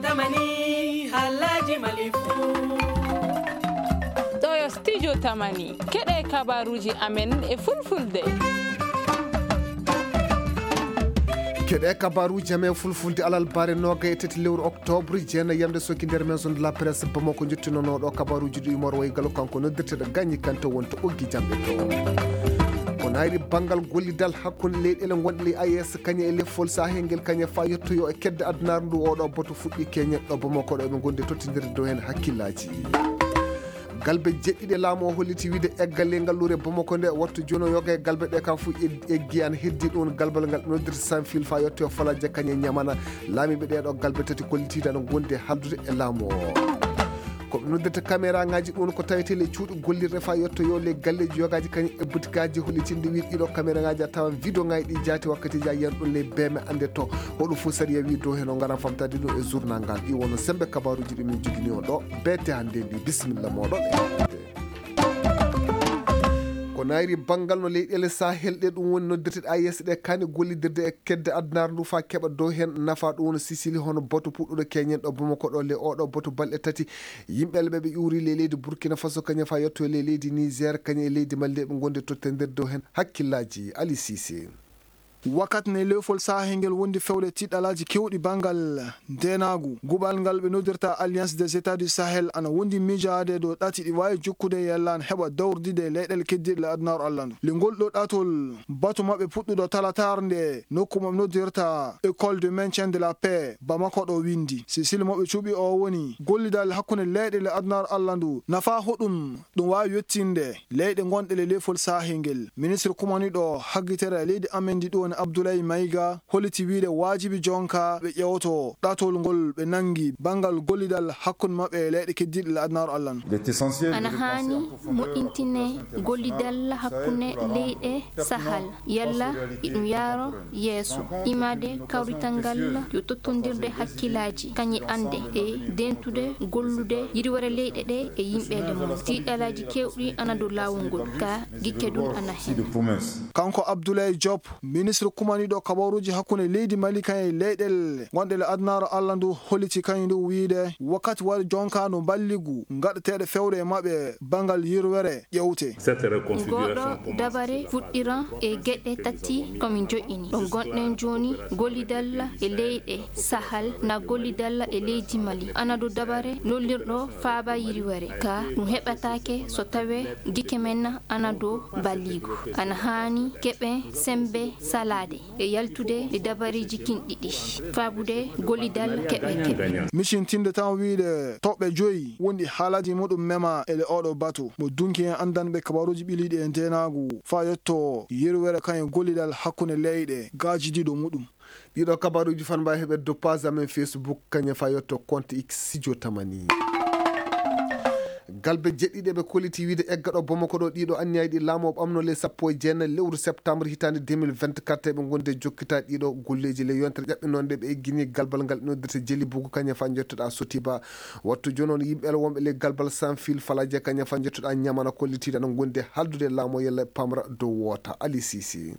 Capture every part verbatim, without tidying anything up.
Tamani, haalaaji Mali fuu. Ɗoo yo Studio Tamani. Keɗee kabaaruuji amen e Fulfulde. Keɗee kabaaruuji amen Fulfulde alarba noogay e tati lewru oktoobre, jeenay yamnde sokki nder Maison de la Presse Bamako. Njottinooɗo kabaaruuji ɗii Umar Waygalu, kanko noddirteeɗo Gañi Kante, wonto ɓoggi jamɗe to. Ko naayri banngal gollidal hakkunde leyɗeele ngonɗe ley A E S kañe e lefol Sahel ngel, kañe faa yettoyoo e kedde adunaaru ndu, oo ɗoo batu fuɗɗii keñen ɗo Bamako ɗo, eɓe ngondi e tottindirde dow heen hakkillaaji. Galbe jeɗɗiɗe laamu o holliti wiide eggalee ngalluure Bamako nde, wattu jooni o yoga e galbe ɗee kaa fuu eg-, eggi ana heddii ɗum galbal ngal ɓe noddirta Sanfil faa yettoyoo Falaje kañe Ñamana. Laamiiɓe ɗee ɗoo galbe tati kollitiiɗe ana ngondi e haaldude e laamu o. Ko ɓe noddirta kameraaŋaaji ɗum ko tawetee ley cuuɗi gollirɗe faa yettoyoo ley galleeji yogaaji kañum e butikaaji hollitinɗi wiide ɗii ɗoo kameraaŋaaji a tawan wideoŋaaji ɗii jaati wakkatiiji a yiyan ɗum ley beeme annde to. Hoɗum fof sariya wii dow heen o ngaran famtaade ɗum e journal ngal. Ɗii wonno semmbe kabaaruuji ɗi min njogini on ɗoo beete hannde ndi. Bisimilla mooɗon. Ko naayri banngal no leyɗeele Sahel ɗee, ɗum woni noddirteeɗe A E S ɗee, kaani gollidirde e kedde adunaaru ndu faa keɓa dow heen nafa, ɗum woni Sisili, hono batu puɗɗuɗo keñen ɗo Bamako ɗo, le oo ɗoo batu balɗe tati, yimɓe ɓe ɓe ƴuuri ley leydi Burkina Faso kañum faa yettoyoo ley leydi Niger, kañum e leydi Mali, ɓe ngondi e tottondirde dow heen hakkillaaji. Ali Sise. Wakkati nde leefol Sahel ngel wondi fewde tiiɗalaaji keewɗi banngal ndeenaagu, guɓal ngal ɓe noddirta Alliance des États du Sahel ana wondi miijaade dow ɗati ɗi waawi jokkude yalla ana heɓa dawrudidde e leyɗeele keddiiɗe ley adunaaru Alla ndu. Le ngol ɗoo ɗatol, batu maɓɓe puɗɗuɗo talataare nde nokku mo ɓe noddirta École de maintien de la paix Bamako ɗo winndi. Sisili mo ɓe cuɓi oo woni gollidal hakkunde leyɗeele adunaaru Alla ndu, nafa hoɗum ɗum waawi yettinde leyɗe gonɗe ley leefol Sahel ngel. Ministre kumaniiɗo haggitere leydi amen ndi ɗum woni Abdoulaye Maïga holliti wiide waajibi jonka ɓe ƴeewto ɗatol ngol ɓe nanngi banngal gollidal hakkunde maɓɓe e leyɗe keddiiɗe ley adunaaru Alla ndu. Ana haani moƴƴintinee gollidal hakkunde leyɗe Sahel, yalla iɗum yaaroo yeeso, imaade kawrital ngal yo tottondirde hakkillaaji, kañe annde e dentude gollude yirwere leyɗe ɗee e yimɓeele mum. Tiiɗalaaji keewɗi ana dow laawol ngol, kaa gikke ɗum ana heen. Kanko Abdoulaye Diop, ministre kumaniiɗo kabaruuji hakkunde leydi Mali kañe leyɗeele gonɗe ley adunaaru Alla ndu, holliti kañum ndu wiide wakkati wari jonka ndu mballigu ngaɗeteeɗo fewde e maɓɓe banngal yirwere ƴeewte. Ngoo ɗoo dabare fuɗɗiran e geɗe tati ko min joƴƴini. Ɗo ngonɗen jooni, gollidal e leyɗe Sahel, na gollidal e leydi Mali. Ana dow dabare lollirɗo faaba yirwere. Kaa ɗum heɓataake so tawee gikke men ana dow mballigu. Ana haani keɓen semmbe salaade e yaltude e dabareeji kin ɗiɗi, faabude gollidal keɓe keɓe. Micintinde tan wiide toɓɓe joyi wonɗi haalaaji muɗum mema e le oo ɗoo batu. Mo dunki en anndanɓe kabaruuji ɓiliiɗi e ndeenaagu faa yetto yerwere kañum gollidal hakkunde leyɗe gaajidiiɗo muɗum. Ɗii ɗoo kabaruuji fan mbaawi heɓeede dow page amen Facebook, kañum faa yetto compte X Studio Tamani. Galbe jeɗɗiɗi ɓe kolliti wiide egga ɗo Bamako ɗo, ɗii ɗoo anniyaaji ɗi laamu o ɓamnoo ley sappo e jeenay lewru septembre hitaande deux mille vingt-quatre, ɓe ngondi e jokkitaade ɗii ɗoo golleeji. Ley yontere ƴaɓɓinoonde ɓe eggini galbal ngal noddirta Jeli Bugu, kañum faa njottoɗaa Sotiba. Wattu jooni on yimɓe wonɓe ley galbal Sanfil Falaje, kañum faa njottoɗaa Ñamana, kollitiiɗo ana ngondi e haaldude e laamu o yalla ɓe pamra dow woota. Ali Sisi.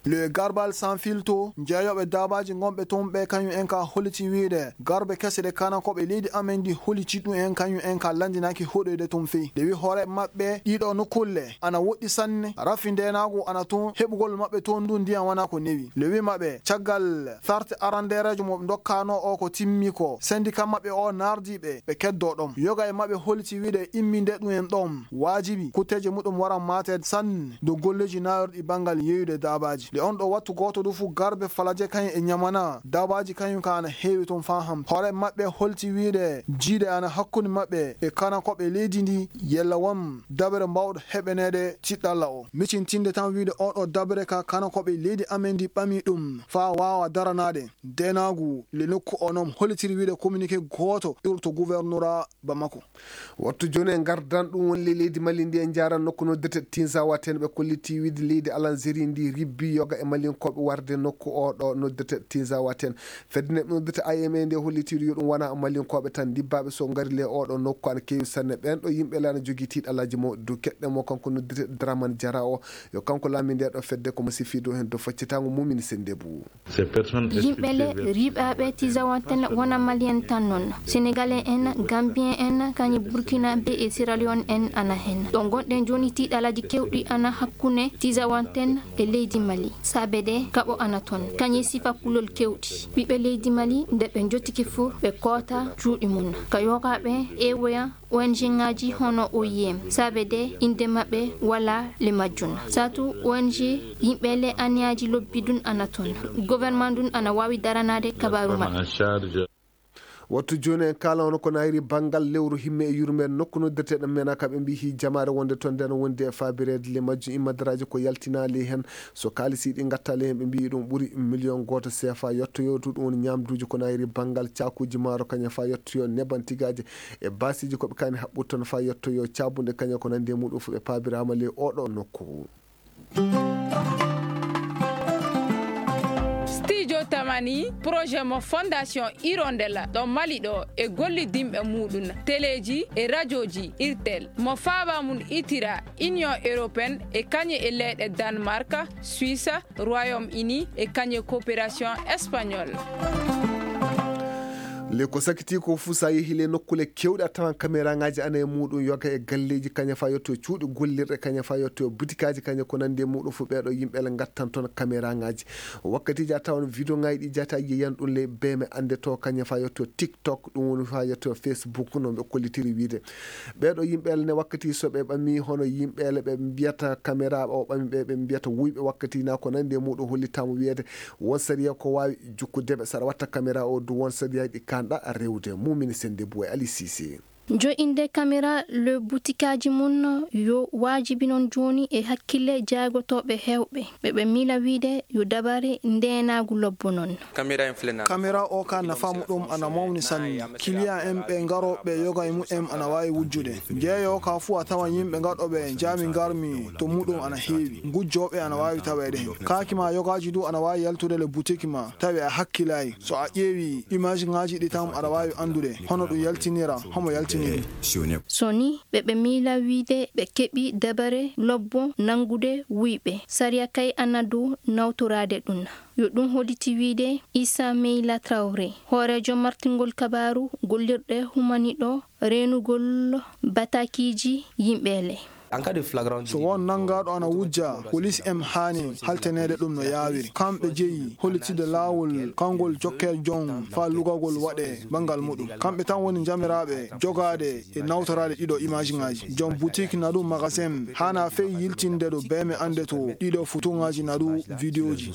Le Garbal Sanfil to, jeeyooɓe daabaaji ngonɓe toon ɓee, kañum en kaa holliti wiide garbe kese ɗe kanakooɓe leydi amen ndi holliti ɗum en, kañum en kaa lanndinaaki hoɗoyde toon fey. Nde wi hoore maɓɓe ɗii ɗoo nokkulle ana woɗɗi sanne, rafi ndeenaagu ana toon, heɓugol maɓɓe toon ndun ndiyan wanaa ko newi. Le wi maɓɓe caggal sarte arandeereejo mo ɓe ndokkaanoo oo ko timmi ko, sendika maɓɓe oo naardii ɓe, ɓe keddoo ɗon. Yoga e maɓɓe holliti wiide imminde ɗum en ɗon waajibi, kutteeje muɗum waran maateede sanne dow golleeji naayirɗi banngal yeeyude daabaaji. Nde on ɗoo wattu gooto du fuu garbe Falaje kañum e Ñamana, daabaaji kañum kaa ana heewi toon faa hanti. Hoore maɓɓe holliti wiide jiiɗe ana hakkunde maɓɓe e kanakooɓe leydi ndi, yalla won dabere mbaawɗo heɓaneede tiiɗalla oo. Micintinde tan wiide oo ɗoo dabere kaa kanakooɓe leydi amen ndi ɓamii ɗum faa waawa daranaade ndeenaagu ley nokku oo non, hollitiri wiide communiqué gooto iwruɗo to gouvernora Bamako. Wattu jooni e ngardan ɗum woni ley leydi Mali ndi, en njaaran nokku noddirtee Tinzawa, teen ɓe kolliti wiide leydi Alanzeri ndi ribbi yoga e Malinkooɓe warde nokku oo ɗoo noddirtee Tizawaten. Fedde nde ɓe noddirta I M A nde hollitiiɗo yo ɗum wona Malinkooɓe tan ndibbaaɓe so ngari le oo ɗoo nokku ana keewi sanne. Ɓeen ɗoo yimɓe le ana jogii tiiɗalaaji mawɗi dow keɗɗe mo kanko noddirtee Dramane Diarra o. Yo kanko laamii ndee ɗoo fedde ko mo sifiiɗo heen dow faccitaango mum ina sennde buu. Yimɓe le riiɓaaɓe Tizawanten wona Malien tan non. Senegalais en, Gambien en, kañum Burkinabé e Sierra Leone en ana hen. Ɗo ngonɗen jooni tiiɗalaaji keewɗi ana hakkunde Tizawanten e leydi Mali. Saabe de kaɓo ana ton. Kañum e sifa kulol keewɗi. Ɓiɓɓe leydi Mali nde ɓe njottike fof ɓe koota cuuɗi mum. Ka yogaaɓe eewoya O N G ŋaaji hono O I M, saabe de innde maɓɓe walaa le majjum. Saatu O N G yimɓe le aniyaaji lobbi ɗun ana ton. Gouvernement ɗun ana waawi daranaade kabaaru maɓɓe. Wattu jooni en kaala hono ko naayiri banngal lewru himme e yurmeende nokku noddirteeɗo Menaka ɓe mbii hii jamaare wonde ton nde no wondi e faabireede le majjum immadaraaji ko yaltinaali hen. So kaalisi ɗi ngattaali hen ɓe mbii ɗum ɓuri miliyon gooto seefa yottoyoo du ɗum woni ñaamduuji ko naayiri banngal caakuuji maaro kañum faa yottoyoo neban tigaaje e baasiiji ko ɓe kaani haɓɓude ton faa yottoyoo caabunɗe kañum ko nanndi e muɗum fof ɓe paabiraama ley oo ɗoo nokku. Studio Tamani, projet mo Fondation Hirondella ɗo Mali ɗo e gollidinɓe muɗum teleeji e rajooji Irtel mo faaba mum itira Union Européenne e kañum e leyɗe Danemark, Suisse, Royaume-Uni e kañum e coopération espagnole. Le ko sakitii ko fuu so a yehii le nokkuule keewɗe a tawan kameraaŋaaji ana e muuɗum yoga e galleeji kaña faa yotto e cuuɗi gollirɗe kaña faa yotto e butikaaji kaña ko nanndi e muuɗum fuu ɓeeɗo yimɓe le ngattan toon kameraaŋaaji. Wakkatiiji a tawan videoŋaaji ɗi jata yiyan ɗum le beeme annde to kaña faa yotto e tiktok ɗum woni faa yotto e facebook no ɓe kollitiri wiide. Ɓeeɗo yimɓeele ne wakkati so ɓe ɓamii hono yimɓeele ɓe mbiyata kameraaɓe o ɓami ɓe ɓe mbiyata wuyɓe wakkati na ko nanndi e muuɗum hollitaama wiyeede won sariya ko waawi jukkude ɓe saɗa watta kameraa o du won sariyaaji ɗi kaanɗa rewde mumini sennde buwe ali sisi. Jo'inde kameraa le butikaaji mum yo waajibi non jooni e hakkille jaagotooɓe heewɓe ɓe ɓe miila wiide yo dabare ndeenaagu lobbo non. Kamera o ka nafa muɗum ana mawni sanne. Kiliyan en ɓe ngarooɓe yoga e mu'en ana waawi wujjude. Njeeyo ka fuu a tawan yimɓe gaɗooɓe jaami ngarmi to muɗum ana heewi. Ngujjooɓe ana waawi taweede hen. Kaaki ma yogaaji du ana waawi yaltude le butiki ma tawi a hakkilaayi. So a ƴeewi imaajiŋaaji ɗi tan aɗa waawi anndude hono ɗum yaltinira homo yaltini ɗum. So ni ɓe ɓe miila wiide ɓe keɓi dabare lobbo nanngude wuyɓe sariya kay ana dow nawtoraade ɗum. Yo ɗum holliti wiide Issa Meyla Traoré, hooreejo martingol kabaaru gollirɗe humaniɗo reenugol bataakiiji yimɓeele. So won nanngaaɗo ana wujja, polis en haani haltaneede ɗum no yaawiri. Kamɓe jeyi hollitinde laawol kalngol jokkee jon faa lugagol waɗee banngal muɗum. Kamɓe tan woni njamiraaɓe jogaade e nawtoraade ɗiɗo imaajiŋaaji. Jom butik na ɗum magasin haanaa fey yiltinde ɗo beeme anndetoo ɗiɗo fotoŋaaji na ɗum vidiyooji.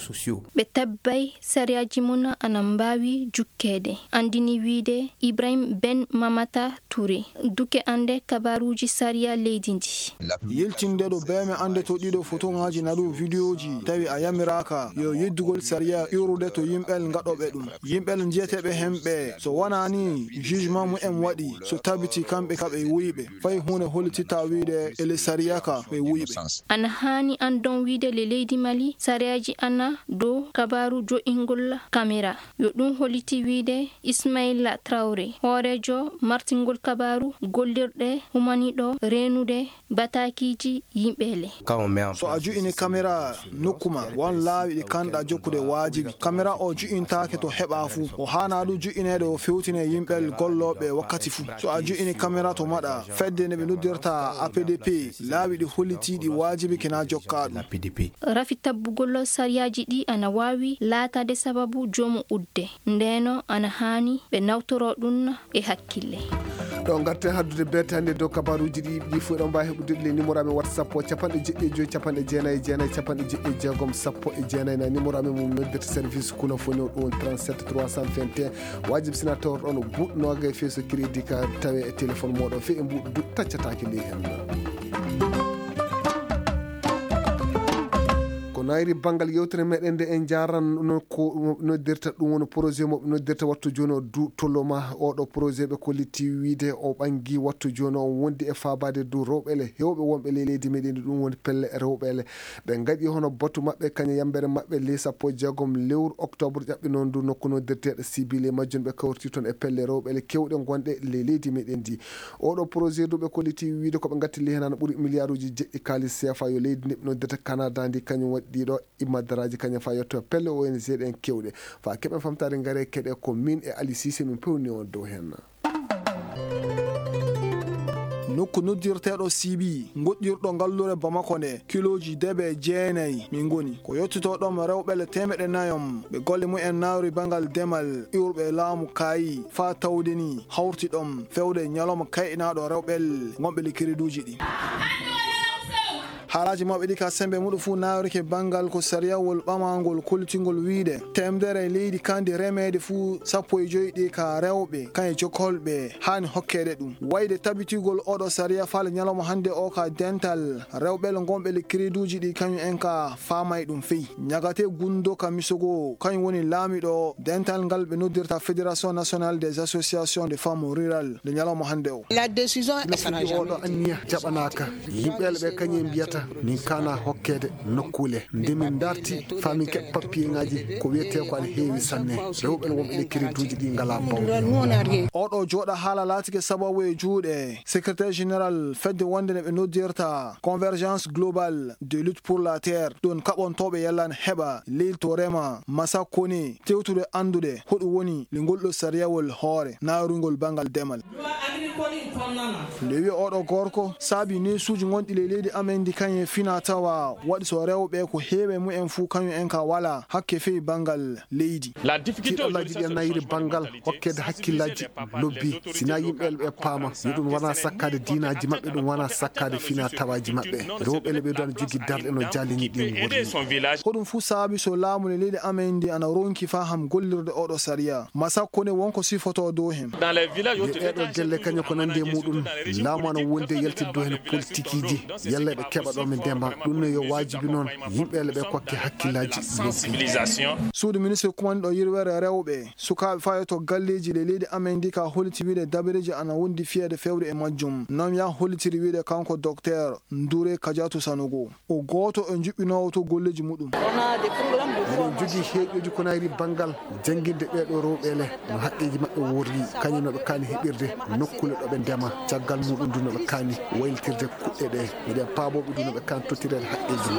Ɓe tabbay sariyaaji mum ana mbaawi jukkeede, anndini wiyde Ibrahim Ben Mamata Touré, duke annde kabaaruuji sariya leydi ndii. Yiltinde ɗo beeme anndetoo ɗiɗo fotoŋaaji na ɗum vidiyooji tawi a yamiraaka yo yeddugol sariya iwrude to yimɓel ngaɗooɓe ɗum. Yimɓel njiyeteeɓe hen ɓee, so wonaa nii jugement mumen waɗii, so tabitii kamɓe ka ɓe wuyɓe, fay huunde hollititta wiyde e ley sariya ka ɓe wuyɓe. Ana haani anndon wiyde le leydi Mali sariyaaji ana dow kabaaru jo'ingol kamera. Yo ɗum holliti wiyde Ismaila Traoré, hooreejo martingol kabaaru gollirɗe humaniɗo reenude bataakiiji yimɓeele. So a ju'ini kamera nokku maa, won laawi ɗi kaanɗaa jokkude waajibi. Kamera oo ju'intaake to heɓaa fuu. O haanaa ɗum ju'ineede o fewtine yimɓel gollooɓe wakkati fuu. So a ju'ini kamera to maɗa, fedde nde ɓe noddirta A P D P, laawi ɗi hollitii ɗi waajibike na jokkaa ɗum. Rafi tabbugol sariyaaji ɗii ana waawi laataade sababu jomu udde. Ndeenoo ana haani ɓe nawtoroo ɗum e hakkille. Ɗo ngarten haddude beete hannde dow kabaaruuji ɗi yiɓi ɗi fof eɗon mbaawi heɓude ɗi le numéro amen wata sappo capanɗe jeɗɗi e joyi capanɗe jeenayi e jeenayi capanɗe jeɗɗi e jeegom sappo e jeenayi na numéro amen mo noddirta service kulafoni o ɗum woni trente-sept trois cent vingt et un. Waajibi sina tawrɗon buuɗ noogay feeso crédit ka tawe e téléphone mooɗon fe e mbuuɗ du taccataake ley hen. Naayri banngal yewtere meɗen nde en njaaran no ko noddirta, ɗum woni projet mo ɓe noddirta wattu jooni o du toloma. Oɗo projet ɓe kolliti wiide o ɓangi wattu jooni o wondi e faabaade du rewɓe le hewɓe wonɓe ley leydi meɗen ndi, ɗum woni pelle rewɓe le ɓe ngaɗi hono batu maɓɓe kañe yambere maɓɓe ley sappo e jeegom lewru octobre ƴaɓɓi noon du nokku noddirteeɗo sibile majjum ɓe kawriti toon e pelle rewɓe le kewɗe gonɗe ley leydi meɗen ndi. Oɗo projet du ɓe kolliti wiide ko ɓe ngatti ley heen ana ɓuri miliyaaruuji jeɗɗi kaalis seefa yo leydi ndi ɓe noddirta Canada ndi kañum waɗi ɗiɗo immadaraaji kañum faa yetto pelle O N G ɗen kewɗe. Faa keɓen famtaade ngare keɗe ko min e Ali Sise min pewni on dow heen. Nokku noddirteeɗo Sibi, ngoɗɗirɗo ngallure Bamako nde, kilooji debe jeenay min ngoni. Ko yettotoo ɗoon rewɓe le teemeɗɗe nayom, ɓe golle mumen naawri banngal demal, iwruɓe laamu kaayi, faa tawde ni hawti ɗoon fewde ñalawma kayɗinaaɗo rewɓe le ngonɓe le kiriduuji ɗi. Haalaaji maɓɓe ɗi ka semmbe muɗum fuu naawrike banngal ko sariyawol ɓamaangol kollitingol wiide teemedere leydi kandi remeede fuu sappo e joy ɗi ka rewɓe, kañe jokolɓe haani hokkeede ɗum. Wayde tabitigol oɗo sariya faale ñalawma hannde o ka dental rewɓe le ngonɓe le kiriduuji ɗi kañum en ka faamay ɗum fey. Ñagate Gundo ka Misogo, kañum woni laamiɗo dental ngal ɓe noddirta Fédération Nationale des Associations de Femmes Rurales nde ñalawma hannde o. La décision Ina fuɗɗi oɗo anniya jaɓanaaka. Yimɓe le ɓe kañum en mbiyata min kaana hokkeede nokkuule. Nde min ndarti faa min keɓa pappiyeŋaaji ko wiyetee ko ana heewi sanne. Rewɓe le wonɓe le kiriduuji ɗi ngalaa bawɗe. Oɗo jooɗa haala laatike sababu e juuɗe secrétaire général fedde wonde nde ɓe noddirta Convergence Globale de Lutte pour la Terre, ɗon kaɓontooɓe yalla ana heɓa leydi to rema Masakone tewtude anndude hoɗum woni le ngol ɗo sariyawol hoore naarungol banngal demal. Nde wiya oɗo gorko saabi neesuuji gonɗi ley leydi amen ndi kañum e fina tawa waɗi so rewɓe ko heewe mumen fuu kañum en ka walaa hakke fey banngal leydi. Tiiɗallaaji ɗi ana nayri banngal hokkeede hakkillaaji lobbi. Sinaa yimɓe le ɓe paama yo ɗum wona sakkaade diinaaji maɓɓe, ɗum wona sakkaade fina tawaaji maɓɓe. Rewɓe le ɓe ɗo ana jogii darɗe no jaalini ɗin worri. Ko ɗum fuu saabi so laamu le leydi amen ndi ana ronki faham gollirde oɗo sariya. Masakko ne wonko sifotoo dow hen. Ɗe ɗeeɗo gelle kañum ko nandi e muɗum laamu ana wondi e yaltidde dow hen politikiiji. Yalla ɓe keɓa ɗo ɓe ndema. Ɗum ne yo waajibi noon yimɓe le ɓe kokke hakkillaaji lobbi. Suudu ministre kumanɗo yirwere rewɓe, sukaaɓe faa yotto galleeji ley leydi amen ndi ka holliti wiide dabareeji ana wondi fiyeede fewde e majjum. Noon yaa hollitiri wiide kanko Dokteer Ndure Kajatu Sanogo. O gooto e juɓɓinoowo to golleeji muɗum. Eɗen jogii heeƴooji ko nayri banngal jannginde ɓeeɗo rewɓe le, no haqqeeji maɓɓe worri, kañum no ɓe kaani heɓirde nokkuule ɗo ɓe ndema, caggal muɗum du no ɓe kaani waylitirde kuɗɗe ɗe. Miɗen paaboo ɓe du no ɓe kaani tottireede haqqeeji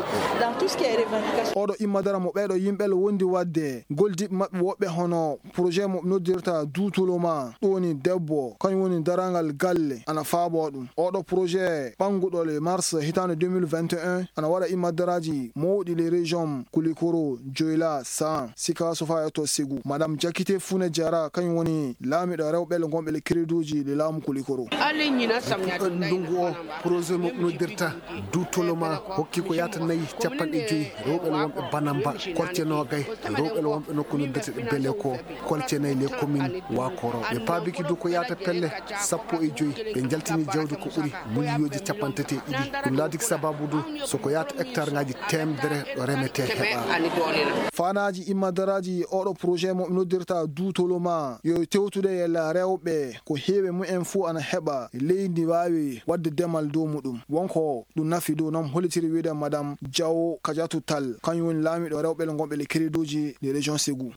maɓɓe. Oɗo immadara mo ɓeeɗo yimɓe le wondi waɗde, goldiiɓe maɓɓe woɓɓe hono projet mo noddirta Duutuluma, ɗum woni debbo, kañum woni darangal galle, ana faaboo ɗum. Oɗo projet ɓannguɗo le mars hitaande deux mille vingt et un, ana waɗa immadaraaji mawɗi le région Kulikoro, Joyla, San, Sikaso faa e to Segu. Madame Jakite Fune Jara, kañum woni laamiɗo rewɓe le ngonɓe le crédit uji le laamu Kulikoro. Ndungu o, projet mo noddirta Duutuluma hokki ko yaata nayi capanɗe joyi rewɓe le wonɓe Banamba, kolce noogay rewɓe le wonɓe nokku noddirte ɗe Bele ko kolce nayi le commune Wakoro. Ɓe paabiki du ko yaata pelle sappo e joyi. Ɓe njaltini jawdi ko ɓuri miliyooji capanɗe tati e ɗiɗi. Ɗum laatiki sababu du so ko yaata hectare ngaaji teemedere ɗo remetee heɓaama. Faanaaji immadaraaji oɗo projet mo noddirta Duutuluma yo tewtude yalla rewɓe ko heewi mumen fuu ana heɓa leydi waawi waɗde demal dow muɗum. Wonko ɗum nafi dow noon hollitiri wiide Madame Diawo Kadiatou Tall, kañum woni laamiɗo rewɓe le ngonɓe le crédit uji le région Ségou.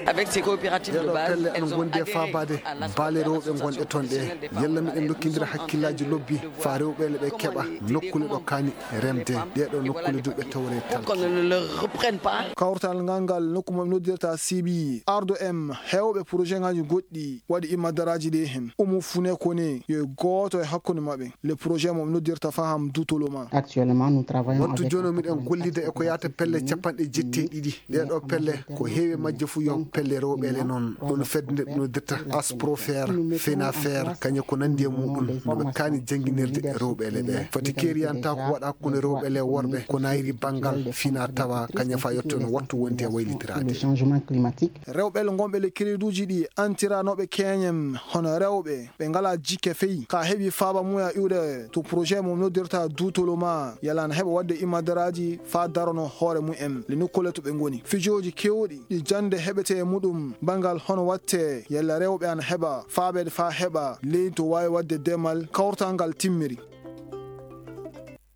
Avec ces coopératives de base, elles ont adhéré à l'aspect de la situation professionnelle des femmes. Ɗeeɗo pelle ana ngondi e faabaade baale rewɓe ngonɗe toon ɗe. Yalla miɗen ndokkindira hakkillaaji lobbi faa rewɓe le ɓe keɓa nokkuule ɗo kaani remde. Ɗeeɗo nokkuule du ɓe tawre talki. Pour qu'on ne le reprenne pas. Kawtal ngal ngal nokku mo noddirta C B I, Ardo M, heewɓe projet ngaaji goɗɗi waɗi immadaraaji ɗi hen. Umu Fune Kone yo gooto e hakkunde maɓɓe. Le projet mo noddirta Faham Dutoloma. Actuellement, nous travaillons avec... Wattu jooni o miɗen gollida e ko yaata pelle capanɗe jetti e ɗiɗi. Ɗeeɗo pelle ko heewi majje fuu yo pelle rewɓe le noon. Ɗum fedde nde noddirta Asprofer, Fenafer, kañe ko nanndi e muɗum no ɓe kaani jannginirde rewɓe le ɓe. Foti keeriyantaa ko waɗa hakkunde rewɓe le worɓe ko nayri banngal fina tawa kañe faa yotto no wattu wondi e waylitiraade. Rewɓe le ngonɓe le crédit uji ɗi antiranooɓe keñen hono rewɓe ɓe ngalaa jikke fey, kaa heɓi faaba mum e iwde to porojee mum noddirta duutolu maa yalla ana heɓa waɗde imadaraaji faa daronoo hoore mum en le nokkuule to ɓe ngoni. Fijooji keewɗi ɗi jannde heɓetee e muɗum banngal hono waɗtee yalla rewɓe ana heɓa faabeede faa heɓa leydi to waawi waɗde demal kawtal ngal timmiri.